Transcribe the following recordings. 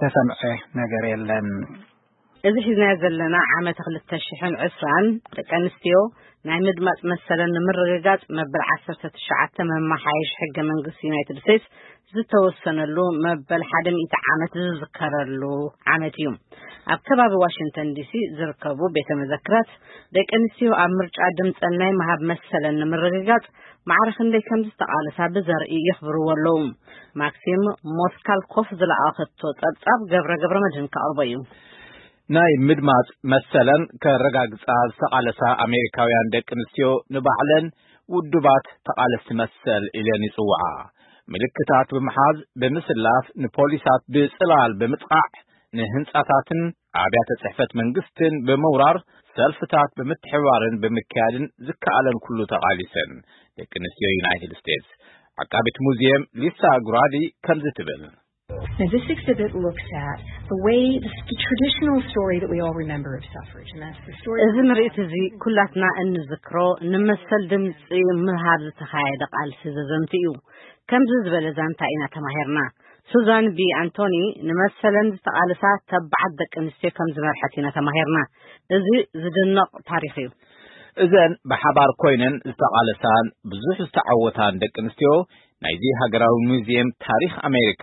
ተሰምዐ ነገር የለን። እዚ ሒዝናዮ ዘለና ዓመት ክልተ ሽሕን ዕስራን ደቂ ኣንስትዮ ናይ ምድማፅ መሰለን ንምርግጋፅ መበል ዓሰርተ ትሽዓተ መመሓየሽ ሕገ መንግስቲ ዩናይትድ ስቴትስ ዝተወሰነሉ መበል ሓደ ሚእቲ ዓመት ዝዝከረሉ ዓመት እዩ። ኣብ ከባቢ ዋሽንግተን ዲሲ ዝርከቡ ቤተ መዘክራት ደቂ ኣንስትዮ ኣብ ምርጫ ድምፀን ናይ ምሃብ መሰለን ንምርግጋፅ ማዕረ ክንደይ ከም ዝተቓለሳ ብዘርኢ የኽብርዎ ኣለዉ። ማክሲም ሞስካልኮፍ ዝለኣኸቶ ጸብጻብ ገብረ ገብረ መድህን ከቕርቦ እዩ። ናይ ምድማጽ መሰለን ከረጋግጻ ዝተቓለሳ ኣሜሪካውያን ደቂ ኣንስትዮ ንባዕለን ውዱባት ተቓለስቲ መሰል ኢለን ይጽውዓ። ምልክታት ብምሓዝ፣ ብምስላፍ፣ ንፖሊሳት ብጽላል ብምጥቓዕ፣ ንህንጻታትን ኣብያተ ጽሕፈት መንግስትን ብምውራር፣ ሰልፍታት ብምትሕብባርን ብምክያድን ዝከኣለን ኩሉ ተቓሊሰን። ደቂ ኣንስትዮ ዩናይትድ ስቴትስ። ዓቃቢት ሙዚየም ሊሳ ጉራዲ ከምዚ ትብል። Now, this exhibit looks at the way, the, the traditional story that we all remember of suffrage, and that's the story እዚ ምርኢት እዚ ኩላትና እንዝክሮ ንመሰል ድምፂ ምሃብ ዝተኻየደ ቃልሲ ዘዘንቱ እዩ። ከምዚ ዝበለ ዛንታ ኢና ተማሂርና። ሱዛን ቢ ኣንቶኒ ንመሰለን ዝተቓልሳ ተባዓት ደቂ ኣንስትዮ ከም ዝመርሐት ኢና ተማሂርና። እዚ ዝድነቕ ታሪኽ እዩ። እዘን ብሓባር ኮይነን ዝተቓለሳን ብዙሕ ዝተዓወታን ደቂ ኣንስትዮ ናይዚ ሃገራዊ ሙዚየም ታሪኽ ኣሜሪካ፣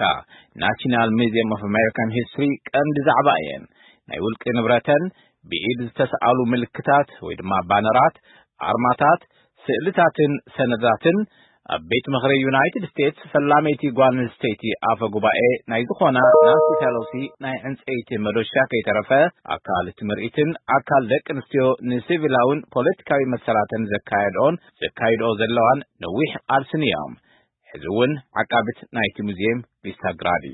ናሽናል ሙዚየም ኦፍ ኣሜሪካን ሂስትሪ፣ ቀንዲ ዛዕባ እየን። ናይ ውልቂ ንብረተን ብኢድ ዝተሰኣሉ ምልክታት ወይ ድማ ባነራት፣ ኣርማታት፣ ስእልታትን ሰነዳትን ኣብ ቤት ምኽሪ ዩናይትድ ስቴትስ ፈላመይቲ ጓል ኣንስተይቲ ኣፈ ጉባኤ ናይ ዝኾና ናንሲ ፔሎሲ ናይ ዕንፀይቲ መዶሻ ከይተረፈ ኣካል እቲ ምርኢትን ኣካል ደቂ ኣንስትዮ ንሲቪላውን ፖለቲካዊ መሰላተን ዘካየድኦን ዘካይድኦ ዘለዋን ነዊሕ ቃልስን እዮም። ሕዚ እውን ዓቃቢት ናይቲ ሙዚየም ሊሳ ግራዲ።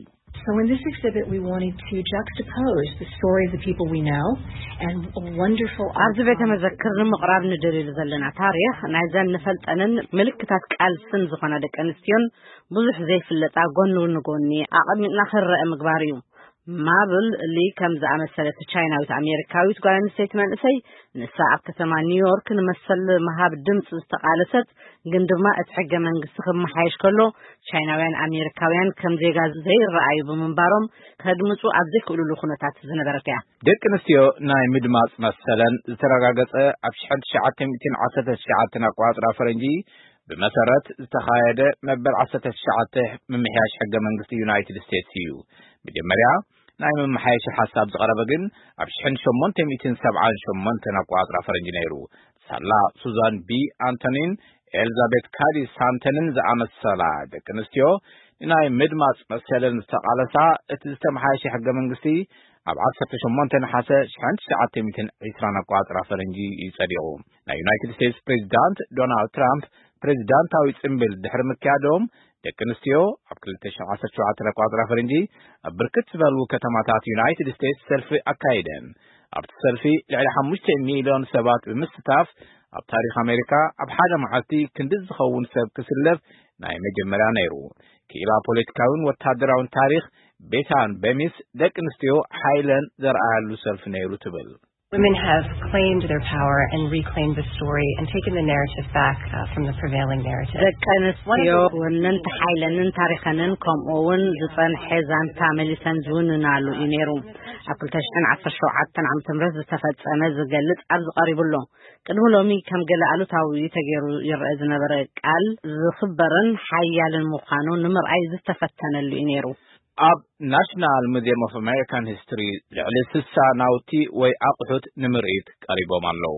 So in this exhibit, we wanted to juxtapose the story of the people we know and a wonderful ኣብዚ ቤተ መዘክር ንምቕራብ ንደልየሉ ዘለና ታሪኽ ናይዘን ንፈልጠንን ምልክታት ቃልስን ዝኾና ደቂ ኣንስትዮን ብዙሕ ዘይፍለጣ ጎኒ ንጎኒ ኣቐሚጥና ክረአ ምግባር እዩ። ማብል ሊ ከም ዝኣመሰለት ቻይናዊት ኣሜሪካዊት ጓል ኣንስተይቲ መንእሰይ፣ ንሳ ኣብ ከተማ ኒውዮርክ ንመሰል ምሃብ ድምፂ ዝተቓለሰት፣ ግን ድማ እቲ ሕገ መንግስቲ ክመሓየሽ ከሎ ቻይናውያን ኣሜሪካውያን ከም ዜጋ ዘይረኣዩ ብምንባሮም ከድምፁ ኣብ ዘይክእሉሉ ኩነታት ዝነበረት እያ። ደቂ ኣንስትዮ ናይ ምድማፅ መሰለን ዝተረጋገፀ ኣብ ሽሕን ትሽዓተ ሚእትን ዓሰርተ ትሽዓተን ኣቆፃፅራ ፈረንጂ ብመሰረት ዝተኻየደ መበል ዓሰርተ ትሽዓተ ምምሕያሽ ሕገ መንግስቲ ዩናይትድ ስቴትስ እዩ። መጀመርያ ናይ መመሓየሺ ሓሳብ ዝቐረበ ግን ኣብ ሽሕን ሸሞንተ ሚእትን ሰብዓን ሸሞንተን ኣቆፃፅራ ፈረንጂ ነይሩ። ሳላ ሱዛን ቢ ኣንቶኒን ኤልዛቤት ካዲ ሳንተንን ዝኣመሰላ ደቂ ኣንስትዮ ንናይ ምድማፅ መሰለን ዝተቓለሳ፣ እቲ ዝተመሓየሸ ሕገ መንግስቲ ኣብ ዓሰርተ ሸሞንተ ነሓሰ ሽሕን ትሽዓተ ሚእትን ዕስራን ኣቆፃፅራ ፈረንጂ እዩ ጸዲቑ። ናይ ዩናይትድ ስቴትስ ፕሬዚዳንት ዶናልድ ትራምፕ ፕሬዚዳንታዊ ጽምብል ድሕሪ ምክያዶም፣ ደቂ ኣንስትዮ ኣብ ክልተ ሽሕን ዓሰርተ ሸውዓተን ኣቆጻጽራ ፈረንጂ ኣብ ብርክት ዝበሉ ከተማታት ዩናይትድ ስቴትስ ሰልፊ ኣካይደን። ኣብቲ ሰልፊ ልዕሊ ሓሙሽተ ሚልዮን ሰባት ብምስታፍ፣ ኣብ ታሪኽ ኣሜሪካ ኣብ ሓደ መዓልቲ ክንዲ ዝኸውን ሰብ ክስለፍ ናይ መጀመርያ ነይሩ። ክኢላ ፖለቲካዊን ወታደራዊን ታሪኽ ቤታን በሚስ፣ ደቂ ኣንስትዮ ሓይለን ዘርኣያሉ ሰልፊ ነይሩ ትብል። Women have claimed their power and reclaimed the story and taken the narrative back, uh, from the prevailing narrative. ደቂ ኣንስትዮ ወነንቲ ሓይለንን ታሪኸንን ከምኡ እውን ዝጸንሐ ዛንታ መሊሰን ዝውንናሉ እዩ ነይሩ። ኣብ ክልተ ሽሕን ዓሰርተ ሸውዓተን ዓመተ ምህረት ዝተፈጸመ ዝገልጽ ኣብዚ ቀሪቡ ኣሎ። ቅድሚ ሎሚ ከም ገለ ኣሉታዊ ተገይሩ ይረአ ዝነበረ ቃል ዝኽበርን ሓያልን ምዃኑ ንምርኣይ ዝተፈተነሉ እዩ ነይሩ። ኣብ ናሽናል ሙዚየም ኦፍ ኣሜሪካን ሂስትሪ ልዕሊ ስሳ ናውቲ ወይ ኣቑሑት ንምርኢት ቀሪቦም ኣለዉ።